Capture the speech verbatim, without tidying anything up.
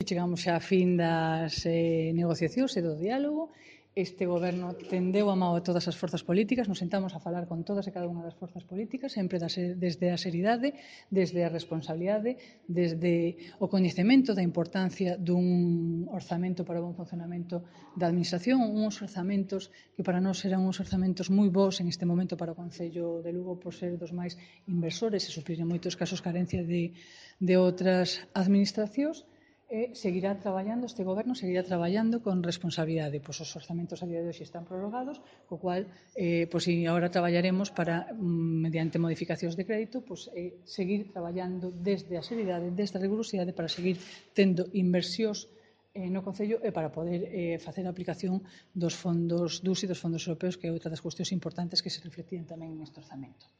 chegamos xa á fin das eh, negociacións e do diálogo. Este goberno tendeu a mão a todas as forzas políticas, nos sentamos a falar con todas e cada unha das forzas políticas, sempre desde a seriedade, desde a responsabilidade, desde o coñecemento da importancia dun orzamento para o bon funcionamento da Administración, uns orzamentos que para nós eran uns orzamentos moi bons en este momento para o Concello de Lugo por ser dos máis inversores e suplir en moitos casos carencia de, de outras administracións. E seguirá traballando, este goberno seguirá traballando con responsabilidade. Pois os orzamentos a día de hoxe están prorrogados, co cual, eh, pois, si agora traballaremos para, mediante modificacións de crédito, pois, eh, seguir traballando desde a seriedade, desde a rigurosidade, para seguir tendo inversións eh, no Concello e para poder eh, facer a aplicación dos fondos D U S e dos fondos europeos, que é outra das cuestións importantes que se reflectían tamén neste orzamento.